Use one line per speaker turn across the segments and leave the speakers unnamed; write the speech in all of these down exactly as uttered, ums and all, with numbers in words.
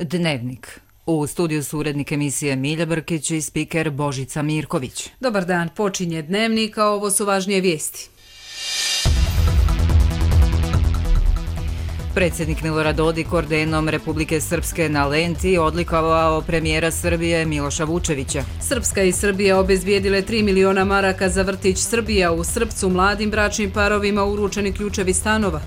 Dnevnik. U studiju su urednik emisije Milja Brkić i spiker Božica Mirković.
Dobar dan, počinje Dnevnik, a ovo su važnije vijesti.
Predsjednik Milorad Dodik ordenom Republike Srpske na Lenti odlikovao premijera Srbije Miloša Vučevića.
Srpska i Srbija obezbijedile tri miliona maraka za vrtić Srbija. U Srpcu mladim bračnim parovima uručeni ključevi stanova.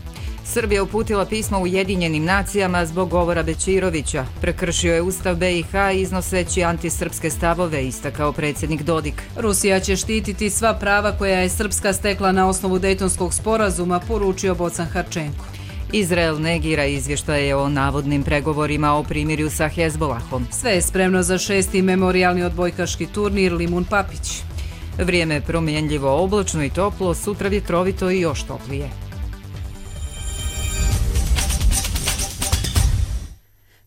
Srbija uputila pismo Ujedinjenim nacijama zbog govora Bećirovića. Prekršio je Ustav B i H iznoseći antisrpske stavove, istakao predsjednik Dodik.
Rusija će štititi sva prava koja je Srpska stekla na osnovu Dejtonskog sporazuma, poručio Bocan Harčenko.
Izrael negira izvještaje o navodnim pregovorima o primirju sa Hezbolahom.
Sve je spremno za šesti memorijalni odbojkaški turnir Limun Papić.
Vrijeme promjenljivo, oblačno i toplo, sutra vjetrovito i još toplije.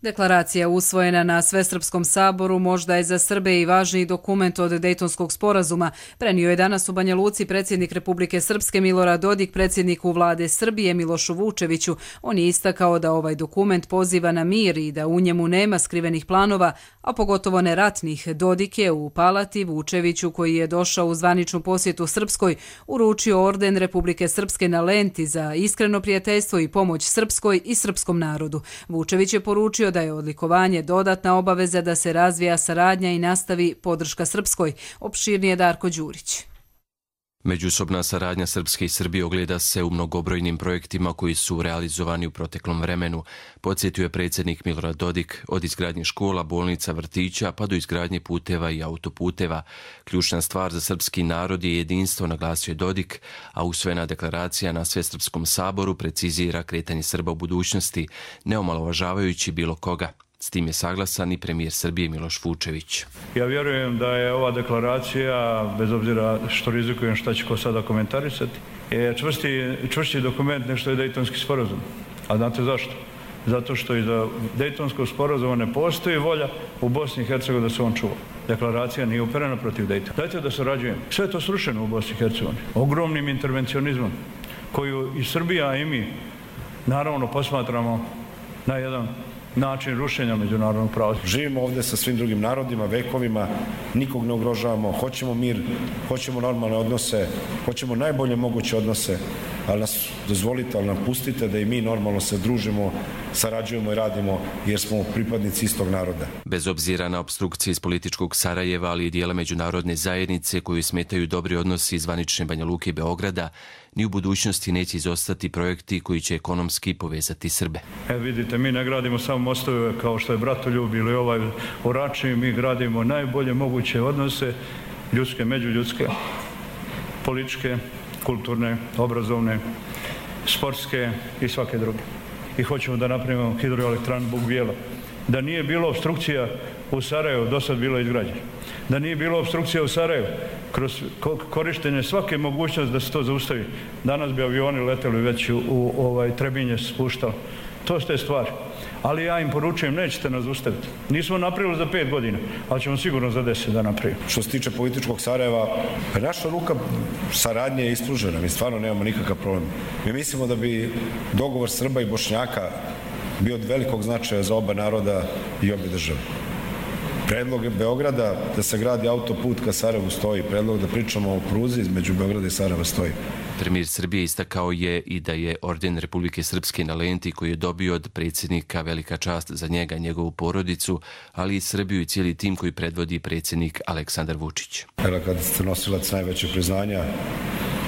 Deklaracija usvojena na Svesrpskom saboru možda je za Srbe i važniji dokument od Dejtonskog sporazuma, prenio je danas u Banja Luci predsjednik Republike Srpske Milorad Dodik predsjedniku vlade Srbije Milošu Vučeviću. On je istakao da ovaj dokument poziva na mir i da u njemu nema skrivenih planova, a pogotovo ne ratnih. Dodik je u palati Vučeviću, koji je došao u zvaničnu posjetu Srpskoj, uručio orden Republike Srpske na Lenti za iskreno prijateljstvo i pomoć Srpskoj i srpskom narodu. Vučević je poručio da je odlikovanje dodatna obaveza da se razvija saradnja i nastavi podrška Srpskoj. Opširnije Darko Đurić.
Međusobna saradnja Srpske i Srbije ogleda se u mnogobrojnim projektima koji su realizovani u proteklom vremenu, podsjetio je predsjednik Milorad Dodik, od izgradnje škola, bolnica, vrtića pa do izgradnje puteva i autoputeva. Ključna stvar za srpski narod je jedinstvo, naglasio je Dodik, a usvojena deklaracija na Svesrpskom saboru precizira kretanje Srba u budućnosti, ne omalovažavajući bilo koga. S tim je saglasan i premijer Srbije Miloš Vučević.
Ja vjerujem da je ova deklaracija, bez obzira što rizikujem šta će ko sada komentarisati, je čvrsti, čvršći dokument nešto je Dejtonski sporazum. A znate zašto? Zato što iza Dejtonskog sporazuma ne postoji volja u Bosni i Hercegovini da se on čuva. Deklaracija nije uperena protiv Dejtona. Dajte da surađujemo. Sve je to srušeno u Bosni i Hercegovini. Ogromnim intervencionizmom koju i Srbija i mi naravno posmatramo na jedan način rušenja međunarodnog prava.
Živimo ovdje sa svim drugim narodima, vekovima, nikog ne ugrožavamo, hoćemo mir, hoćemo normalne odnose, hoćemo najbolje moguće odnose, ali nas dozvolite, ali nam pustite da i mi normalno se družimo, sarađujemo i radimo jer smo pripadnici istog naroda.
Bez obzira na opstrukcije iz političkog Sarajeva, ali i dijela međunarodne zajednice koju smetaju dobri odnosi iz zvanične Banja Luke i Beograda, ni u budućnosti neće izostati projekti koji će ekonomski povezati Srbe.
E vidite, mi ne gradimo samo mostove kao što je Bratoljub ili ovaj Oračni, mi gradimo najbolje moguće odnose, ljudske, međuljudske, političke, kulturne, obrazovne, sportske i svake druge. I hoćemo da napravimo hidroelektranu Buk Bijela. Da nije bilo opstrukcija u Sarajevu, do sad bilo izgrađeno. Da nije bilo opstrukcija u Sarajevu, kroz korištenje svake mogućnosti da se to zaustavi, danas bi avioni leteli već u, u ovaj Trebinje spuštali. To su te stvari. Ali ja im poručujem, nećete nas zaustaviti. Nismo napravili za pet godina, ali ćemo sigurno za deset da napravimo.
Što se tiče političkog Sarajeva, naša ruka saradnje je ispružena, mi stvarno nemamo nikakav problem. Mi mislimo da bi dogovor Srba i Bošnjaka bio od velikog značaja za oba naroda i obe države. Predlog Beograda da se gradi autoput ka Sarajevu stoji, predlog da pričamo o pruzi između Beograda i Sarajeva stoji.
Premijer Srbije istakao je i da je orden Republike Srpske na Lenti, koji je dobio od predsjednika, velika čast za njega i njegovu porodicu, ali i Srbiju i cijeli tim koji predvodi predsjednik Aleksandar Vučić.
Evo, kad ste nosilac najveće priznanja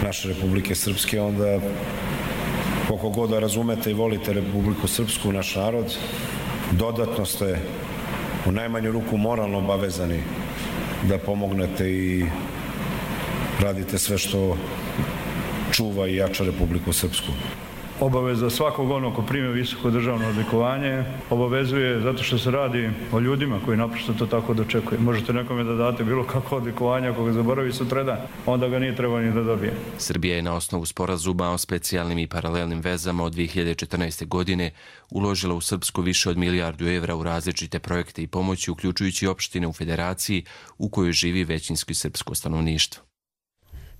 naše Republike Srpske, onda koliko god da razumete i volite Republiku Srpsku, naš narod, dodatno ste u najmanju ruku moralno obavezani da pomognete i radite sve što čuva i jača Republiku Srpsku.
Obaveza svakog onog ko prime visoko državno odlikovanje obavezuje zato što se radi o ljudima koji naprosto to tako dočekuju. Možete nekome da date bilo kakvo odlikovanje, ako ga zaboravi sutradan, onda ga nije trebao ni da dobije.
Srbija je na osnovu sporazuma o specijalnim i paralelnim vezama od dvije hiljade četrnaeste. godine uložila u Srpsku više od milijardu evra u različite projekte i pomoći, uključujući opštine u federaciji u kojoj živi većinski srpsko stanovništvo.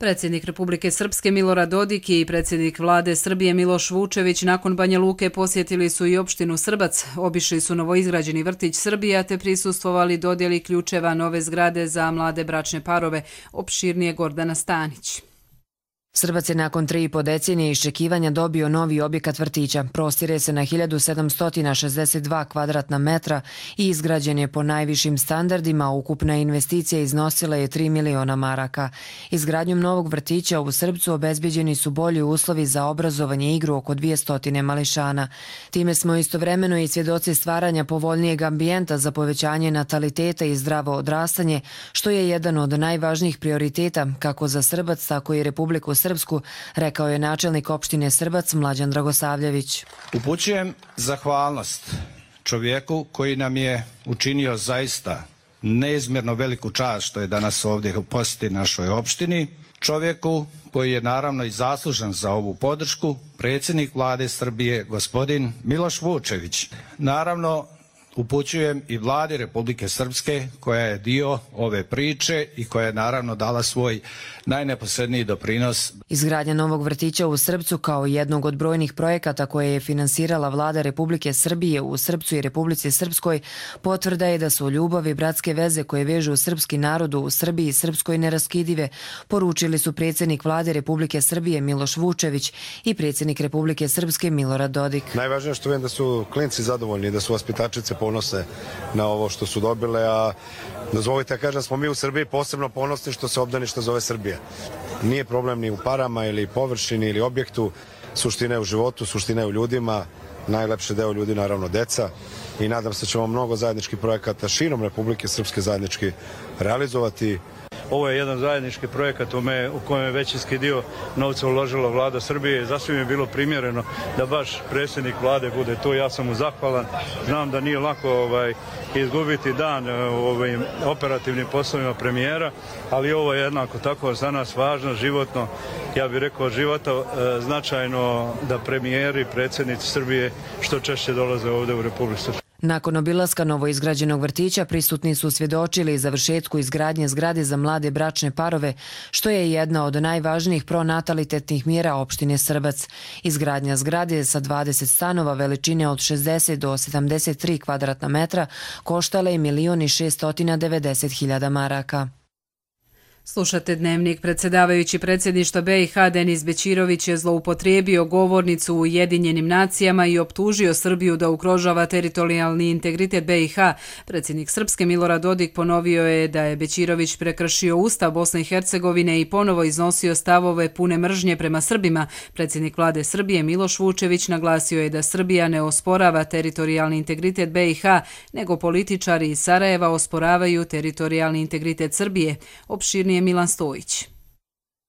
Predsjednik Republike Srpske Milorad Dodik i predsjednik vlade Srbije Miloš Vučević nakon Banja Luke posjetili su i opštinu Srbac, obišli su novoizgrađeni vrtić Srbija te prisustvovali dodjeli ključeva nove zgrade za mlade bračne parove, opširnije Gordana Stanić.
Srbac je nakon tri i po decenije iščekivanja dobio novi objekat vrtića. Prostire se na hiljadu sedamsto šezdeset dva kvadratna metra i izgrađen je po najvišim standardima. Ukupna investicija iznosila je tri miliona maraka. Izgradnjom novog vrtića u Srbcu obezbeđeni su bolji uslovi za obrazovanje i igru oko dvjesto mališana. Time smo istovremeno i svjedoci stvaranja povoljnijeg ambijenta za povećanje nataliteta i zdravo odrastanje, što je jedan od najvažnijih prioriteta kako za Srbac, tako i Republiku Srpsku, rekao je načelnik opštine Srbac Mlađan Dragosavljević.
Upućujem zahvalnost čovjeku koji nam je učinio zaista neizmjerno veliku čast što je danas ovdje u posjeti našoj opštini. Čovjeku koji je naravno i zaslužan za ovu podršku, predsjednik vlade Srbije gospodin Miloš Vučević. Naravno, upućujem i vladi Republike Srpske koja je dio ove priče i koja je naravno dala svoj najneposredniji doprinos.
Izgradnja novog vrtića u Srbcu kao jednog od brojnih projekata koje je finansirala vlada Republike Srbije u Srbcu i Republici Srpskoj potvrda je da su ljubav i bratske veze koje vežu srpski narod u Srbiji i Srpskoj neraskidive, poručili su predsjednik vlade Republike Srbije Miloš Vučević i predsjednik Republike Srpske Milorad Dodik.
Najvažnije što vidim da su klinci zadovoljni, da su vaspitačice ponose na ovo što su dobile, a dozvolite da kažem, smo mi u Srbiji posebno ponosni što se obdanište zove Srbija. Nije problem ni u parama ili površini ili objektu, suština je u životu, suština je u ljudima, najlepši deo ljudi naravno deca i nadam se da ćemo mnogo zajedničkih projekata širom Republike Srpske zajednički realizovati.
Ovo je jedan zajednički projekat u kojem je većinski dio novca uložila vlada Srbije. Zasvim je bilo primjereno da baš predsjednik vlade bude tu. Ja sam mu zahvalan. Znam da nije lako ovaj, izgubiti dan u ovim operativnim poslovima premijera, ali ovo je jednako tako za nas važno, životno, ja bih rekao života, značajno da premijeri, predsjednici Srbije što češće dolaze ovdje u Republiku Srpsku.
Nakon obilaska novoizgrađenog vrtića prisutni su svjedočili završetku izgradnje zgrade za mlade bračne parove, što je jedna od najvažnijih pronatalitetnih mjera opštine Srbac. Izgradnja zgrade sa dvadeset stanova veličine od šezdeset do sedamdeset tri kvadratna metra koštala je milion i šeststo devedeset hiljada maraka.
Slušate Dnevnik. Predsjedavajući predsjedništva B i H Denis Bećirović je zloupotrijebio govornicu u Ujedinjenim nacijama i optužio Srbiju da ugrožava teritorijalni integritet B i H. Predsjednik Srpske Milorad Dodik ponovio je da je Bećirović prekršio Ustav Bosne i Hercegovine i ponovo iznosio stavove pune mržnje prema Srbima. Predsjednik vlade Srbije Miloš Vučević naglasio je da Srbija ne osporava teritorijalni integritet B i H, nego političari iz Sarajeva osporavaju teritorijalni integritet Srbije. Opširnije Milan Stojić.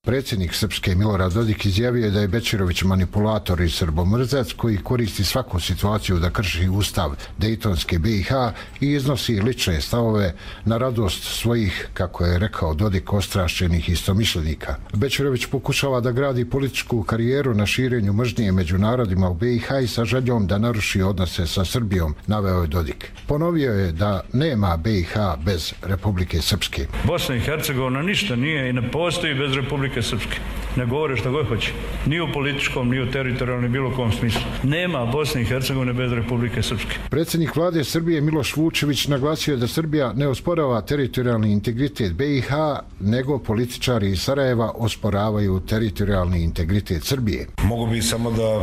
Predsjednik Srpske Milorad Dodik izjavio je da je Bećirović manipulator i srbomrzac koji koristi svaku situaciju da krši ustav Dejtonske B i H i iznosi lične stavove na radost svojih, kako je rekao Dodik, ostrašćenih istomišljenika. Bećirović pokušava da gradi političku karijeru na širenju mržnje među narodima u B i H i sa željom da naruši odnose sa Srbijom, naveo je Dodik. Ponovio je da nema B i H bez Republike Srpske.
Bosna i Hercegovina ništa nije i ne postoji bez Republike Srpske. Ne govore što god hoće. Ni u političkom, ni u teritorijalnom, ni bilo kom smislu. Nema Bosne i Hercegovine bez Republike Srpske.
Predsjednik vlade Srbije Miloš Vučević naglasio da Srbija ne osporava teritorijalni integritet B i H, nego političari iz Sarajeva osporavaju teritorijalni integritet Srbije.
Mogu bi samo da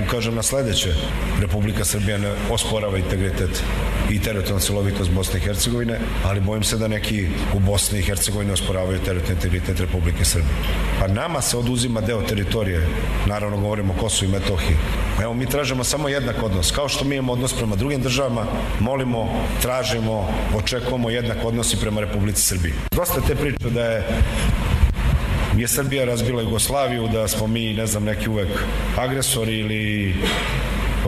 ukažem na sljedeće. Republika Srbija ne osporava integritet i teritorijalnu celovitost Bosne i Hercegovine, ali bojim se da neki u Bosni i Hercegovini osporavaju teritorijalni integritet Republike Srbije. Pa nama se oduzima deo teritorije, naravno govorimo o Kosovu i Metohiji. Evo, mi tražimo samo jednak odnos. Kao što mi imamo odnos prema drugim državama, molimo, tražimo, očekujemo jednak odnos i prema Republici Srbiji. Dosta te priče da je je Srbija razbila Jugoslaviju, da smo mi, ne znam, neki uvek agresori ili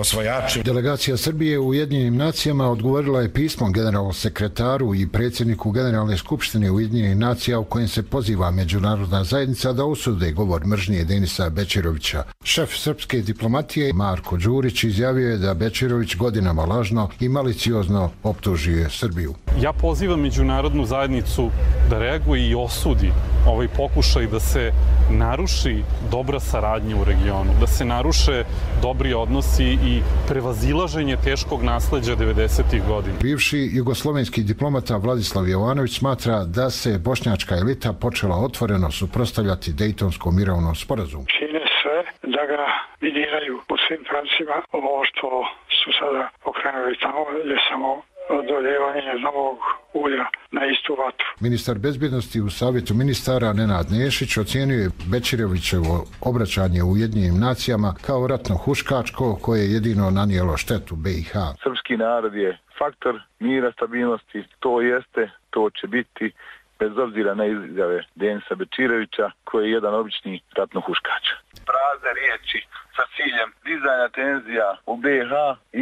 osvajači.
Delegacija Srbije u Ujedinjenim nacijama odgovorila je pismom generalnom sekretaru i predsjedniku Generalne skupštine Ujedinjenih nacija u kojem se poziva međunarodna zajednica da osude govor mržnje Denisa Bećirovića. Šef srpske diplomatije Marko Đurić izjavio je da Bećirović godinama lažno i maliciozno optužuje Srbiju.
Ja pozivam međunarodnu zajednicu da reaguje i osudi ovaj pokušaj da se naruši dobra saradnja u regionu, da se naruše dobri odnosi i prevazilaženje teškog nasleđa devedesetih godina.
Bivši jugoslovenski diplomata Vladislav Jovanović smatra da se bošnjačka elita počela otvoreno suprotstavljati Dejtonskom mirovnom sporazumu.
Čine sve da ga miniraju po svim pravcima. Ovo što su sada pokrenuli tamo je samo doljevanje novog ulja na istu vatru.
Ministar bezbjednosti u Savjetu ministara Nenad Nešić ocijenio je Bećirovićevo obraćanje u Ujedinjenim nacijama kao ratno huškačko koje je jedino nanijelo štetu B i H.
Srpski narod je faktor mira, stabilnosti, to jeste, to će biti bez obzira na izjave Denisa Bećirovića koji je jedan obični ratno huškač. Prazne riječi sa ciljem dizanja tenzija u B i H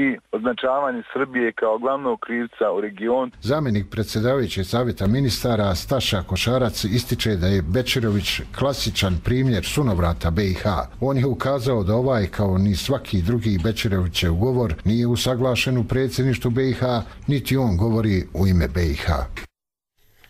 i označavanje Srbije kao glavnog krivca u regionu.
Zamjenik predsjedavajućeg savjeta ministara Staša Košarac ističe da je Bećirović klasičan primjer sunovrata B i H. On je ukazao da ovaj kao ni svaki drugi Bećirovićev govor nije usaglašen u predsjedništvu B i H, niti on govori u ime B i H.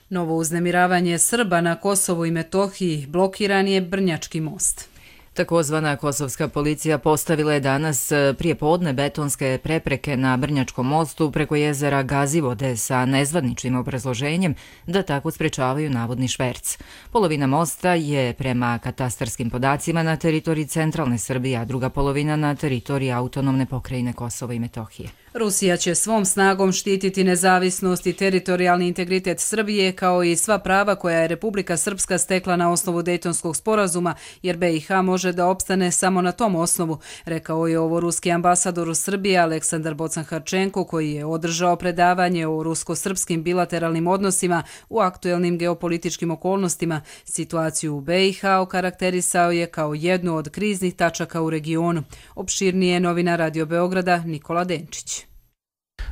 Novo uznemiravanje Srba na Kosovu i Metohiji, blokiran je Brnjački most.
Takozvana kosovska policija postavila je danas prije podne betonske prepreke na Brnjačkom mostu preko jezera Gazivode sa nezvaničnim obrazloženjem da tako sprečavaju navodni šverc. Polovina mosta je prema katastarskim podacima na teritoriji centralne Srbije, a druga polovina na teritoriji autonomne pokrajine Kosova i Metohije.
Rusija će svom snagom štititi nezavisnost i teritorijalni integritet Srbije kao i sva prava koja je Republika Srpska stekla na osnovu Dejtonskog sporazuma, jer B i H može da opstane samo na tom osnovu, rekao je ovo ruski ambasador u Srbiji Aleksandar Bocan-Harčenko, koji je održao predavanje o rusko-srpskim bilateralnim odnosima u aktuelnim geopolitičkim okolnostima. Situaciju u B i H okarakterisao je kao jednu od kriznih tačaka u regionu. Opširnije novina Radio Beograda Nikola Denčić.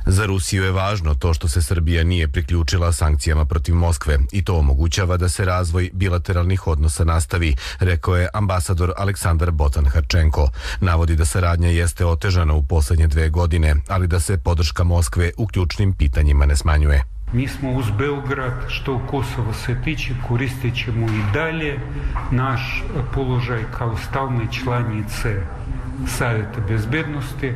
Za Rusiju je važno to što se Srbija nije priključila sankcijama protiv Moskve i to omogućava da se razvoj bilateralnih odnosa nastavi, rekao je ambasador Aleksandar Bocan-Harčenko. Navodi da saradnja jeste otežana u posljednje dve godine, ali da se podrška Moskve u ključnim pitanjima ne smanjuje.
Mi smo uz Beograd, što u Kosovo se tiče, koristit ćemo i dalje naš položaj kao stalne članice Savjeta bezbednosti,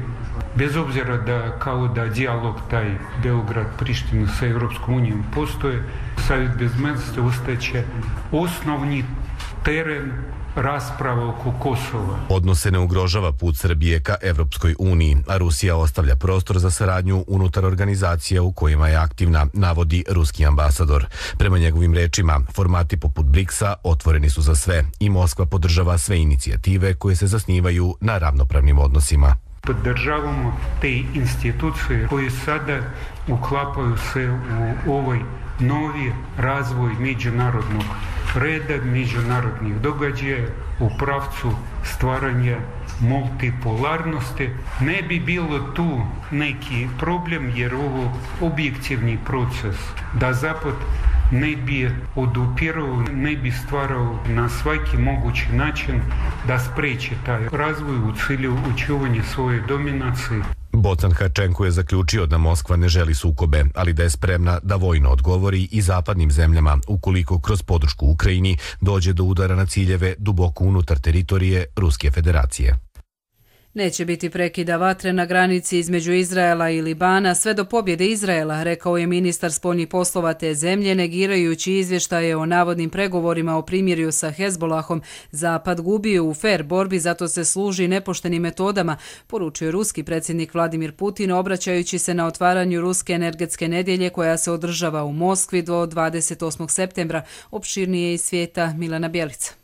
bez obzira da kao da dijalog taj Beograd-Priština sa Europskom unijom postoje, Savjet bezbednosti ostaće osnovni teren rasprava oko Kosova.
Odnose ne ugrožava put Srbije ka Evropskoj uniji, a Rusija ostavlja prostor za saradnju unutar organizacija u kojima je aktivna, navodi ruski ambasador. Prema njegovim rečima, formati poput briksa otvoreni su za sve i Moskva podržava sve inicijative koje se zasnivaju na ravnopravnim odnosima.
Podržavamo te institucije koje sada uklapaju se u ovaj novi razvoj međunarodnog reda, međunarodnih događaja u pravcu stvaranja multipolarnosti. Ne bi bilo tu neki problem jer ovo objektivni proces da Zapad ne bi odupirao, ne bi stvarao na svaki mogući način da spreči taj razvoj u cilju očuvanja svoje dominacije.
Bocan-Harčenko je zaključio da Moskva ne želi sukobe, ali da je spremna da vojno odgovori i zapadnim zemljama ukoliko kroz podršku Ukrajini dođe do udara na ciljeve duboko unutar teritorije Ruske federacije.
Neće biti prekida vatre na granici između Izraela i Libana sve do pobjede Izraela, rekao je ministar spoljnih poslova te zemlje, negirajući izvještaje o navodnim pregovorima o primirju sa Hezbolahom. Zapad gubio u fer borbi, zato se služi nepoštenim metodama, poručio ruski predsjednik Vladimir Putin, obraćajući se na otvaranju Ruske energetske nedjelje koja se održava u Moskvi do dvadeset osmog septembra. Opširnije iz svijeta Milana Bjelica.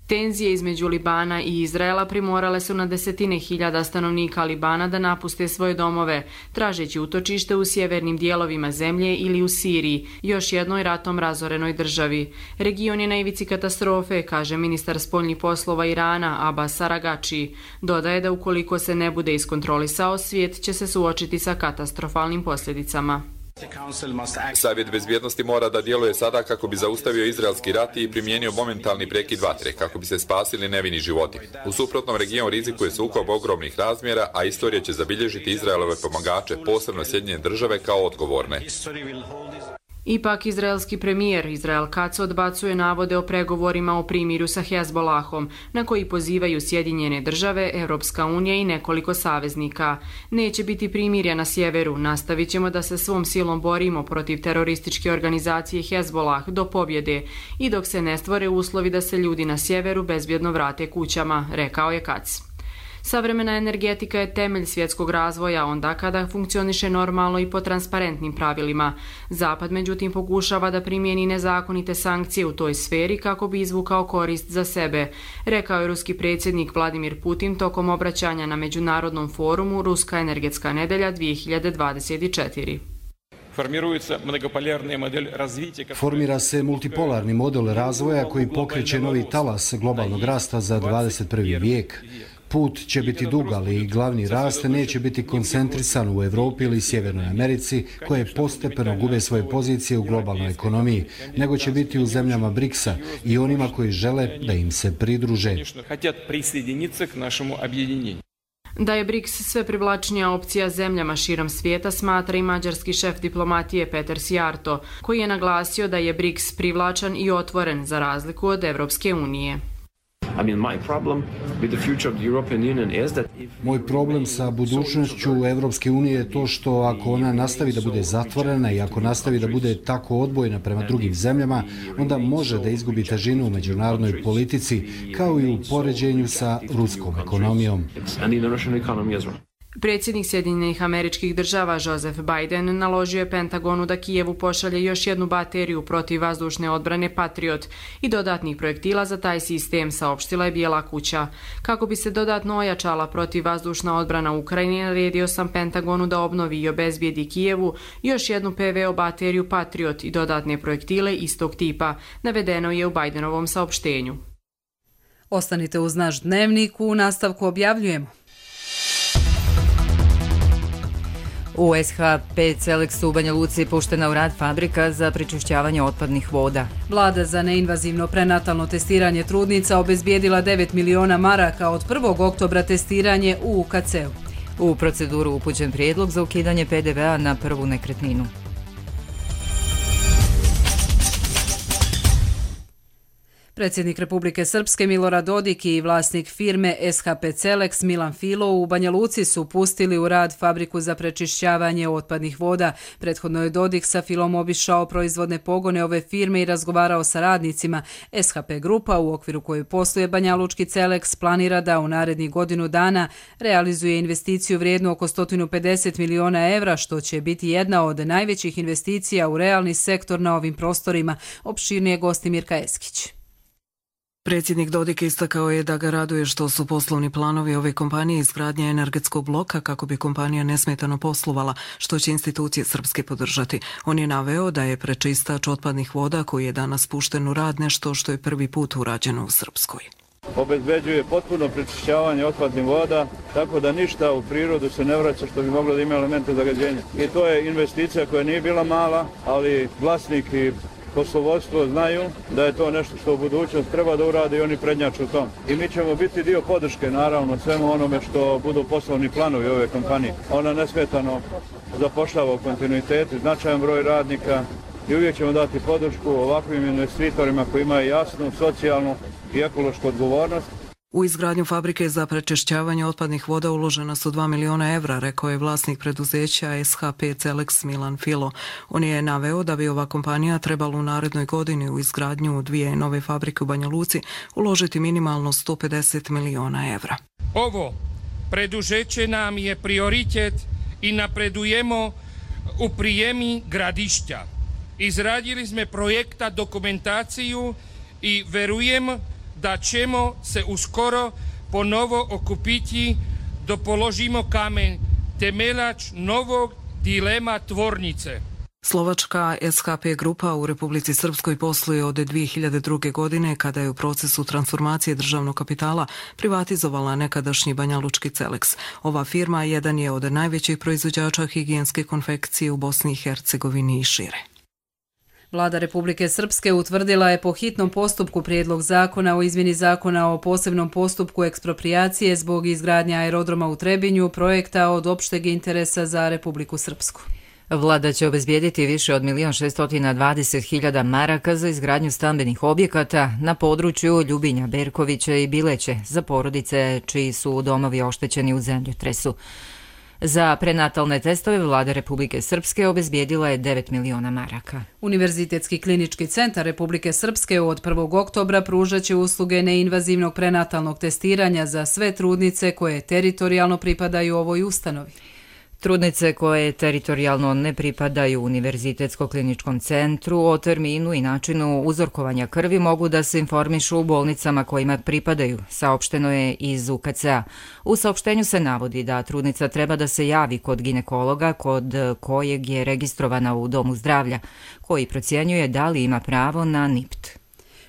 Tenzije između Libana i Izraela primorale su na desetine hiljada stanovnika Libana da napuste svoje domove, tražeći utočište u sjevernim dijelovima zemlje ili u Siriji, još jednoj ratom razorenoj državi. Region je na ivici katastrofe, kaže ministar spoljnih poslova Irana Abbas Aragači. Dodaje da ukoliko se ne bude iskontrolisao, svijet će se suočiti sa katastrofalnim posljedicama.
Savjet bezbjednosti mora da djeluje sada kako bi zaustavio izraelski rat i primijenio momentalni prekid vatre, kako bi se spasili nevini životi. U suprotnom, region rizikuje sukob ogromnih razmjera, a istorija će zabilježiti Izraelove pomagače, posebno Sjedinjene države, kao odgovorne.
Ipak, izraelski premijer Israel Katz odbacuje navode o pregovorima o primirju sa Hezbolahom, na koji pozivaju Sjedinjene države, Europska unija i nekoliko saveznika. Neće biti primirja na sjeveru, nastavit ćemo da se svom silom borimo protiv terorističke organizacije Hezbolah do pobjede i dok se ne stvore uslovi da se ljudi na sjeveru bezbjedno vrate kućama, rekao je Katz. Savremena energetika je temelj svjetskog razvoja onda kada funkcioniše normalno i po transparentnim pravilima. Zapad međutim pokušava da primijeni nezakonite sankcije u toj sferi kako bi izvukao korist za sebe, rekao je ruski predsjednik Vladimir Putin tokom obraćanja na Međunarodnom forumu Ruska energetska nedelja dvije hiljade dvadeset četiri.
Formira se multipolarni model razvoja koji pokreće novi talas globalnog rasta za dvadeset prvi vijek. Put će biti dug, ali glavni rast neće biti koncentrisan u Evropi ili Sjevernoj Americi, koje postepeno gube svoje pozicije u globalnoj ekonomiji, nego će biti u zemljama briksa i onima koji žele da im se pridruže.
Da je BRICS sve privlačnija opcija zemljama širom svijeta, smatra i mađarski šef diplomatije Peter Sijarto, koji je naglasio da je BRICS privlačan i otvoren za razliku od Evropske unije.
Moj problem sa budućnošću Evropske unije je to što ako ona nastavi da bude zatvorena i ako nastavi da bude tako odbojna prema drugim zemljama, onda može da izgubi težinu u međunarodnoj politici, kao i u poređenju sa ruskom ekonomijom.
Predsjednik Sjedinjenih Američkih Država Joseph Biden naložio je Pentagonu da Kijevu pošalje još jednu bateriju protiv vazdušne odbrane Patriot i dodatnih projektila za taj sistem, saopštila je Bijela kuća. Kako bi se dodatno ojačala protiv vazdušna odbrana Ukrajine, naredio sam Pentagonu da obnovi i obezbijedi Kijevu još jednu P V O bateriju Patriot i dodatne projektile istog tipa, navedeno je u Bidenovom saopštenju.
Ostanite uz naš dnevnik, u nastavku objavljujemo.
U S H P Celeksu u Banja Luci puštena u rad fabrika za prečišćavanje otpadnih voda.
Vlada za neinvazivno prenatalno testiranje trudnica obezbijedila devet miliona maraka od prvog oktobra testiranje u U K C-u.
U proceduru upućen prijedlog za ukidanje P D V-a na prvu nekretninu.
Predsjednik Republike Srpske Milorad Dodik i vlasnik firme S H P Celeks Milan Filo u Banja Luci su pustili u rad fabriku za prečišćavanje otpadnih voda. Prethodno je Dodik sa Filom obišao proizvodne pogone ove firme i razgovarao sa radnicima. S H P grupa, u okviru koje posluje Banja Lučki Celeks, planira da u narednih godinu dana realizuje investiciju vrijednu oko sto pedeset miliona evra, što će biti jedna od najvećih investicija u realni sektor na ovim prostorima, opširnije gosti Mirka Eskić.
Predsjednik Dodik istakao je da ga raduje što su poslovni planovi ove kompanije izgradnja energetskog bloka kako bi kompanija nesmetano poslovala, što će institucije srpske podržati. On je naveo da je prečistač otpadnih voda koji je danas pušten u rad nešto što je prvi put urađeno u Srpskoj.
Obezbeđuje potpuno prečišćavanje otpadnih voda, tako da ništa u prirodu se ne vraća što bi moglo da ima elemente zagađenja. I to je investicija koja nije bila mala, ali vlasnik i poslovodstvo znaju da je to nešto što u budućnosti treba da urade i oni prednjaču u tom. I mi ćemo biti dio podrške, naravno, svemu onome što budu poslovni planovi ove kompanije. Ona nesmetano zapošljava u kontinuitetu, značajan broj radnika i uvijek ćemo dati podršku ovakvim investitorima koji imaju jasnu, socijalnu i ekološku odgovornost.
U izgradnju fabrike za prečišćavanje otpadnih voda uložena su dva miliona evra, rekao je vlasnik preduzeća S H P Celeks Milan Filo. On je naveo da bi ova kompanija trebala u narednoj godini u izgradnju dvije nove fabrike u Banja Luci uložiti minimalno sto pedeset miliona evra.
Ovo preduzeće nam je prioritet i napredujemo u prijemi gradišća. Izradili smo projekta dokumentaciju i verujem da ćemo se uskoro ponovo okupiti da položimo kamen temeljač novog dilema tvornice.
Slovačka S H P grupa u Republici Srpskoj posluje od dvije hiljade druge. godine kada je u procesu transformacije državnog kapitala privatizovala nekadašnji banjalučki Celeks. Ova firma jedan je od najvećih proizvođača higijenske konfekcije u Bosni i Hercegovini i šire.
Vlada Republike Srpske utvrdila je po hitnom postupku prijedlog zakona o izmjeni zakona o posebnom postupku eksproprijacije zbog izgradnje aerodroma u Trebinju, projekta od opšteg interesa za Republiku Srpsku.
Vlada će obezbijediti više od milion šesto dvadeset hiljada maraka za izgradnju stambenih objekata na području Ljubinja, Berkovića i Bileće za porodice čiji su domovi oštećeni u zemljotresu. Za prenatalne testove Vlada Republike Srpske obezbijedila je devet miliona maraka.
Univerzitetski klinički centar Republike Srpske od prvog oktobra pružat će usluge neinvazivnog prenatalnog testiranja za sve trudnice koje teritorijalno pripadaju ovoj ustanovi.
Trudnice koje teritorijalno ne pripadaju Univerzitetsko-kliničkom centru o terminu i načinu uzorkovanja krvi mogu da se informišu u bolnicama kojima pripadaju, saopšteno je iz U K C A. U saopštenju se navodi da trudnica treba da se javi kod ginekologa kod kojeg je registrovana u domu zdravlja, koji procjenjuje da li ima pravo na N I P T.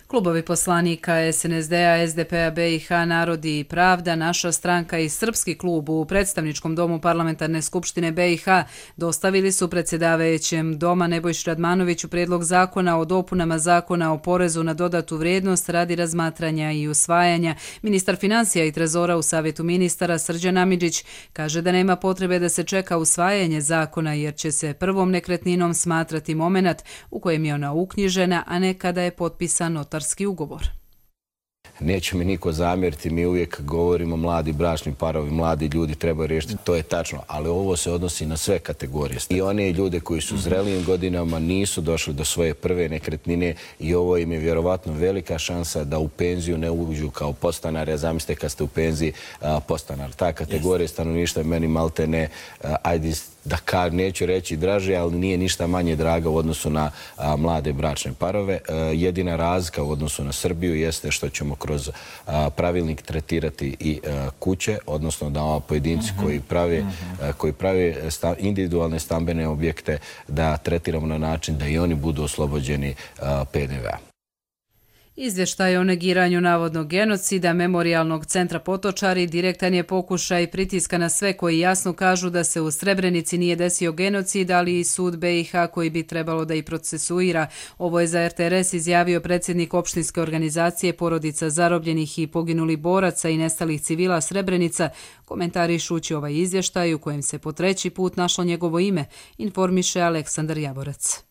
Klubovi poslanika S N S D-a, S D P-a B i H, Narodi i Pravda, Naša stranka i Srpski klub u predstavničkom domu Parlamentarne skupštine B i H dostavili su predsjedavajućem doma Nebojši Radmanoviću prijedlog zakona o dopunama zakona o porezu na dodatu vrijednost radi razmatranja i usvajanja. Ministar financija i trezora u Savjetu ministara Srđan Amidžić kaže da nema potrebe da se čeka usvajanje zakona jer će se prvom nekretninom smatrati momenat u kojem je ona uknjižena, a ne kada je potpisan notarski ugovor.
Neće mi niko zamjeriti, mi uvijek govorimo mladi bračni parovi, mladi ljudi trebaju riješiti, to je tačno, ali ovo se odnosi na sve kategorije. I one ljude koji su u zrelijim godinama nisu došli do svoje prve nekretnine i ovo im je vjerovatno velika šansa da u penziju ne uđu kao podstanari, a zamislite kad ste u penziji podstanar. Ta kategorija stanovništva meni malte ne, ajde da kar, neću reći draže, ali nije ništa manje draga u odnosu na a, mlade bračne parove. E, jedina razlika u odnosu na Srbiju jeste što ćemo kroz a, pravilnik tretirati i a, kuće, odnosno da ova pojedinci uh-huh. koji prave, uh-huh. a, koji prave sta, individualne stambene objekte da tretiramo na način da i oni budu oslobođeni a, P D V-a.
Izvještaj o negiranju navodnog genocida Memorijalnog centra Potočari direktan je pokušaj pritiska na sve koji jasno kažu da se u Srebrenici nije desio genocid, ali i sud B i H koji bi trebalo da i procesuira. Ovo je za R T R S izjavio predsjednik opštinske organizacije Porodica zarobljenih i poginulih boraca i nestalih civila Srebrenica, komentarišući ovaj izvještaj u kojem se po treći put našlo njegovo ime, informiše Aleksandar Javorac.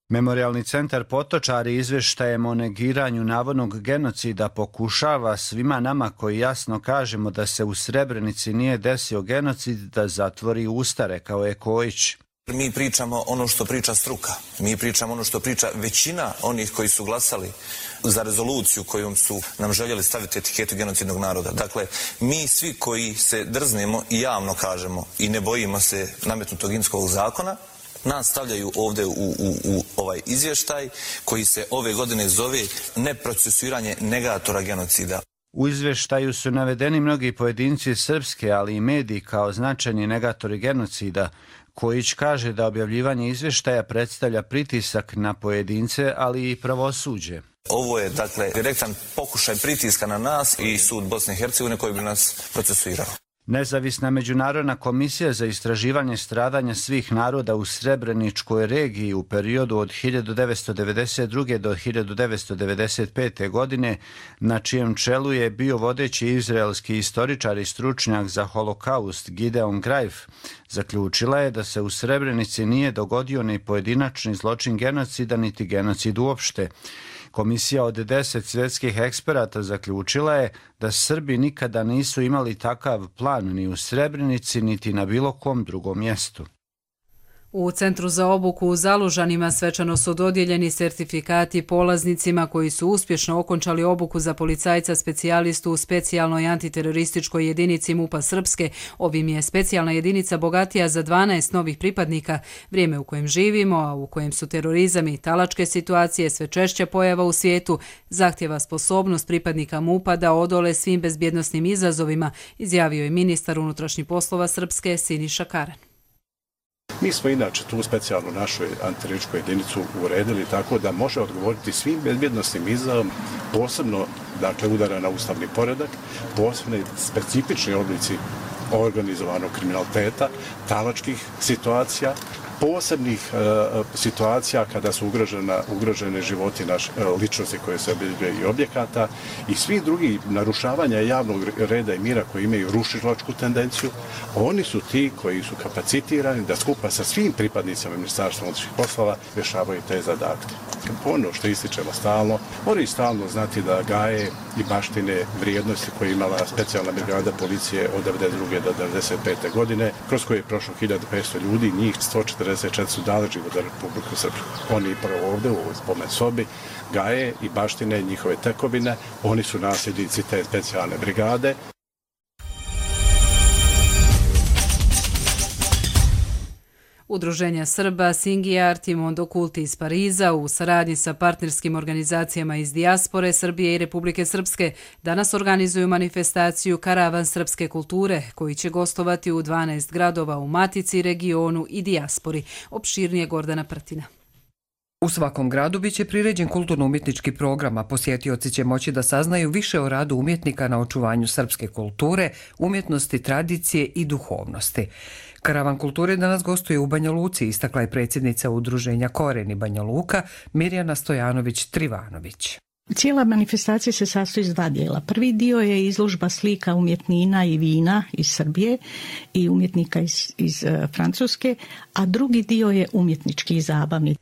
Memorijalni centar Potočari izvještajem o negiranju navodnog genocida pokušava svima nama koji jasno kažemo da se u Srebrenici nije desio genocid da zatvori usta, rekao je Kojić.
Mi pričamo ono što priča struka, mi pričamo ono što priča većina onih koji su glasali za rezoluciju kojom su nam željeli staviti etiketu genocidnog naroda. Dakle, mi svi koji se drznemo i javno kažemo i ne bojimo se nametnutog Inskog zakona, nas stavljaju ovdje u, u, u ovaj izvještaj koji se ove godine zove neprocesuiranje negatora genocida.
U izvještaju su navedeni mnogi pojedinci srpske, ali i mediji kao značajni negatori genocida. Kojić kaže da objavljivanje izvještaja predstavlja pritisak na pojedince, ali i pravosuđe.
Ovo je, dakle, direktan pokušaj pritiska na nas i sud Bosne i Hercegovine koji bi nas procesuirao.
Nezavisna međunarodna komisija za istraživanje stradanja svih naroda u Srebreničkoj regiji u periodu od hiljadu devetsto devedeset druge. do hiljadu devetsto devedeset pete. godine, na čijem čelu je bio vodeći izraelski istoričar i stručnjak za holokaust Gideon Greif, zaključila je da se u Srebrenici nije dogodio ni pojedinačni zločin genocida, niti genocid uopšte. Komisija od deset svjetskih eksperata zaključila je da Srbi nikada nisu imali takav plan ni u Srebrenici, niti na bilo kom drugom mjestu.
U Centru za obuku u Zalužanima svečano su dodijeljeni sertifikati polaznicima koji su uspješno okončali obuku za policajca specijalistu u specijalnoj antiterorističkoj jedinici MUP-a Srpske. Ovim je specijalna jedinica bogatija za dvanaest novih pripadnika. Vrijeme u kojem živimo, a u kojem su terorizam i talačke situacije sve češće pojava u svijetu, zahtjeva sposobnost pripadnika MUP-a da odole svim bezbjednosnim izazovima, izjavio je ministar unutrašnjih poslova Srpske Siniša Karan.
Mi smo inače tu specijalnu našu antiterorističku jedinicu uredili tako da može odgovoriti svim bezbjednosnim izazovima, posebno dakle, udara na ustavni poredak, posebno specifični oblici organizovanog kriminaliteta, talačkih situacija, posebnih e, situacija kada su ugrožena, ugrožene životi naše ličnosti koje se obezbijaju i objekata i svih drugih narušavanja javnog reda i mira koji imaju rušilačku tendenciju. Oni su ti koji su kapacitirani da skupa sa svim pripadnicama Ministarstva unutrašnjih poslova rješavaju te zadatke. Ono što ističemo stalno, moraju stalno znati da gaje i baštine vrijednosti koje je imala specijalna brigada policije od devedeset druge do devedeset pete godine, kroz koje je prošlo hiljadu petsto ljudi, njih sto četrdeset četiri su dali život za Republiku Srpsku. Oni prvo ovdje u ovoj spomen sobi gaje i baštine njihove tekovine, oni su nasljednici te specijalne brigade.
Udruženja Srba Singiart i Mondo Kulti iz Pariza u saradnji sa partnerskim organizacijama iz dijaspore Srbije i Republike Srpske danas organizuju manifestaciju Karavan srpske kulture koji će gostovati u dvanaest gradova u Matici, regionu i dijaspori. Opširnije Gordana Prtina.
U svakom gradu biće priređen kulturno-umjetnički program, a posjetioci će moći da saznaju više o radu umjetnika na očuvanju srpske kulture, umjetnosti, tradicije i duhovnosti. Karavan kulture danas gostuje u Banja Luci, istakla je predsjednica udruženja Koreni Banja Luka Mirjana Stojanović-Trivanović.
Cijela manifestacija se sastoji iz dva dijela. Prvi dio je izložba slika umjetnina i vina iz Srbije i umjetnika iz, iz uh, Francuske, a drugi dio je umjetnički i zabavni.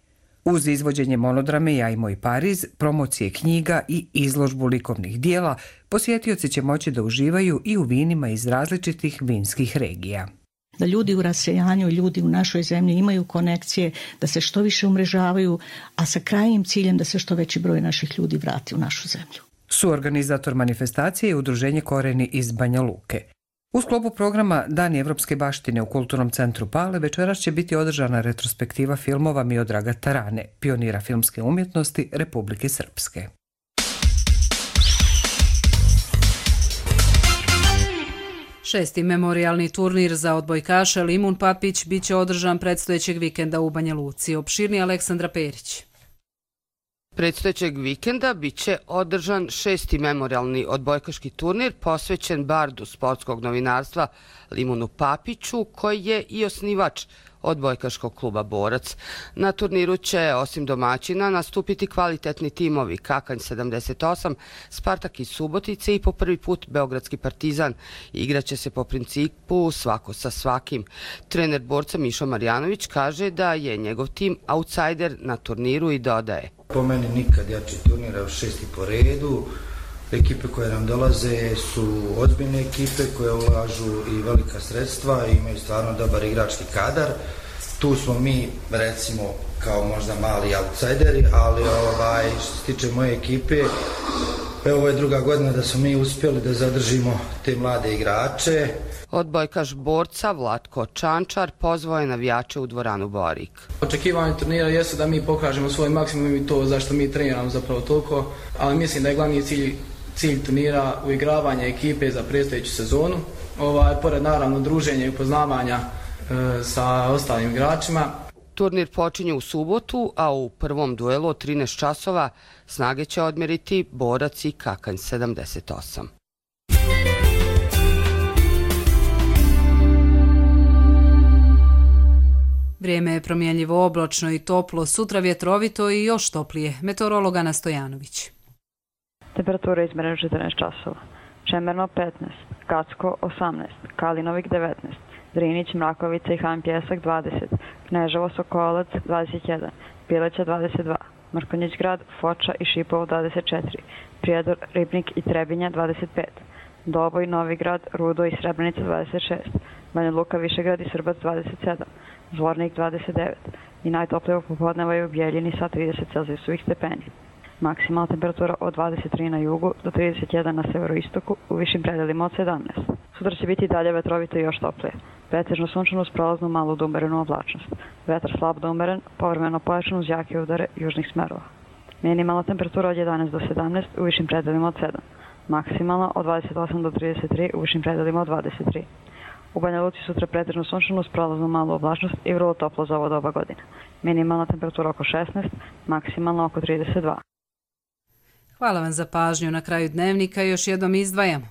Uz izvođenje monodrame Ja i moj Pariz, promocije knjiga i izložbu likovnih dijela, posjetioci će moći da uživaju i u vinima iz različitih vinskih regija.
Da ljudi u rasejanju, ljudi u našoj zemlji imaju konekcije, da se što više umrežavaju, a sa krajnjim ciljem da se što veći broj naših ljudi vrati u našu zemlju.
Suorganizator manifestacije je udruženje Koreni iz Banja Luke. U sklopu programa Dani evropske baštine u Kulturnom centru Pale večeras će biti održana retrospektiva filmova Miodraga Tarane, pionira filmske umjetnosti Republike Srpske.
Šesti memorijalni turnir za odbojkaše Limun Papić biće održan predstojećeg vikenda u Banja Luci. Opširni Aleksandra Perić.
Predstojećeg vikenda biće održan šesti memorijalni odbojkaški turnir posvećen bardu sportskog novinarstva Limunu Papiću, koji je i osnivač odbojkaškog kluba Borac. Na turniru će, osim domaćina, nastupiti kvalitetni timovi Kakanj sedamdeset osam, Spartak iz Subotice i po prvi put Beogradski Partizan. Igraće se po principu svako sa svakim. Trener Borca Mišo Marjanović kaže da je njegov tim outsider na turniru i dodaje.
Po meni nikad jači turnir, evo šesti po redu. Ekipe koje nam dolaze su ozbiljne ekipe koje ulažu i velika sredstva i imaju stvarno dobar igrački kadar. Tu smo mi, recimo, kao možda mali outsideri, ali ovaj, što se tiče moje ekipe, evo ovo je druga godina da smo mi uspjeli da zadržimo te mlade igrače.
Odbojkaš Borca Vlatko Čančar pozvao je navijače u dvoranu Borik.
Očekivanje turnira jesu da mi pokažemo svoj maksimum i to zašto mi treniramo zapravo toliko, ali mislim da je glavni cilj, cilj turnira uigravanje ekipe za predstojeću sezonu. Ovaj, pored naravno druženja i upoznavanja e, sa ostalim igračima.
Turnir počinje u subotu, a u prvom duelu od trinaest časova snage će odmjeriti Borac i Kakanj sedamdeset osam.
Vrijeme je promjenljivo oblačno i toplo, sutra vjetrovito i još toplije. Meteorolog Ana Stojanović.
Temperatura izmjerena četrnaest časova. Čemerno petnaest, Kacko osamnaest, Kalinovik devetnaest, Drinić, Mrakovica i Han Pjesak dvadeset, Kneževo, Sokolac dvadeset jedan, Pileća dvadeset dva, Mrkonjić Grad, Foča i Šipovo dvadeset četiri, Prijedor, Ribnik i Trebinja dvadeset pet, Doboj, Novigrad, Rudo i Srebrenica dvadeset šest, Banja Luka, Višegrad i Srbac dvadeset sedam, Zvornik dvadeset devet i najtoplije popodneva je u Bijeljini sa trideset celzijusovih stepeni. Maksimalna temperatura od dvadeset tri na jugu do trideset jedan na severoistoku, u višim predelima od sedamnaest. Sutra će biti dalje vetrovito i još toplije. Pretežno sunčano uz prolaznu malu do umerenu oblačnost. Vetar slab do umeren, povremeno pojačan uz jake udare južnih smerova. Minimalna temperatura od jedanaest do sedamnaest, u višim predelima od sedam. Maksimalna od dvadeset osam do trideset tri, u višim predelima od dvadeset tri. U Banja Luci sutra pretežno sunčano uz prolaznu malu oblačnost i vrlo toplo za ovo doba godine. Minimalna temperatura oko šesnaest, maksimalna oko trideset dva.
Hvala vam za pažnju. Na kraju dnevnika još jednom izdvajamo.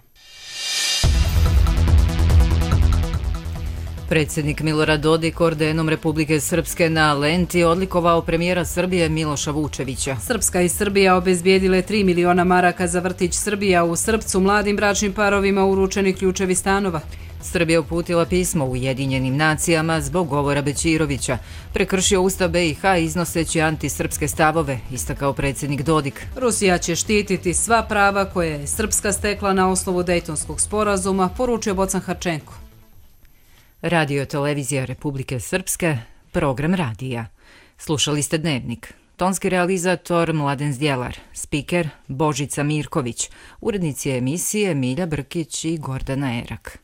Predsjednik Milorad Dodik ordenom Republike Srpske na Lenti odlikovao premijera Srbije Miloša Vučevića.
Srpska i Srbija obezbijedile tri miliona maraka za vrtić Srbija. U Srpcu mladim bračnim parovima uručeni ključevi stanova.
Srbija uputila pismo Ujedinjenim nacijama zbog govora Bećirovića. Prekršio Ustav B i H iznoseći antisrpske stavove, istakao predsjednik Dodik.
Rusija će štititi sva prava koje je Srpska stekla na osnovu Dejtonskog sporazuma, poručio Bocan Harčenko.
Radio televizija Republike Srpske, program radija. Slušali ste Dnevnik. Tonski realizator Mladen Zdjelar, spiker Božica Mirković, urednici emisije Milja Brkić i Gordana Erak.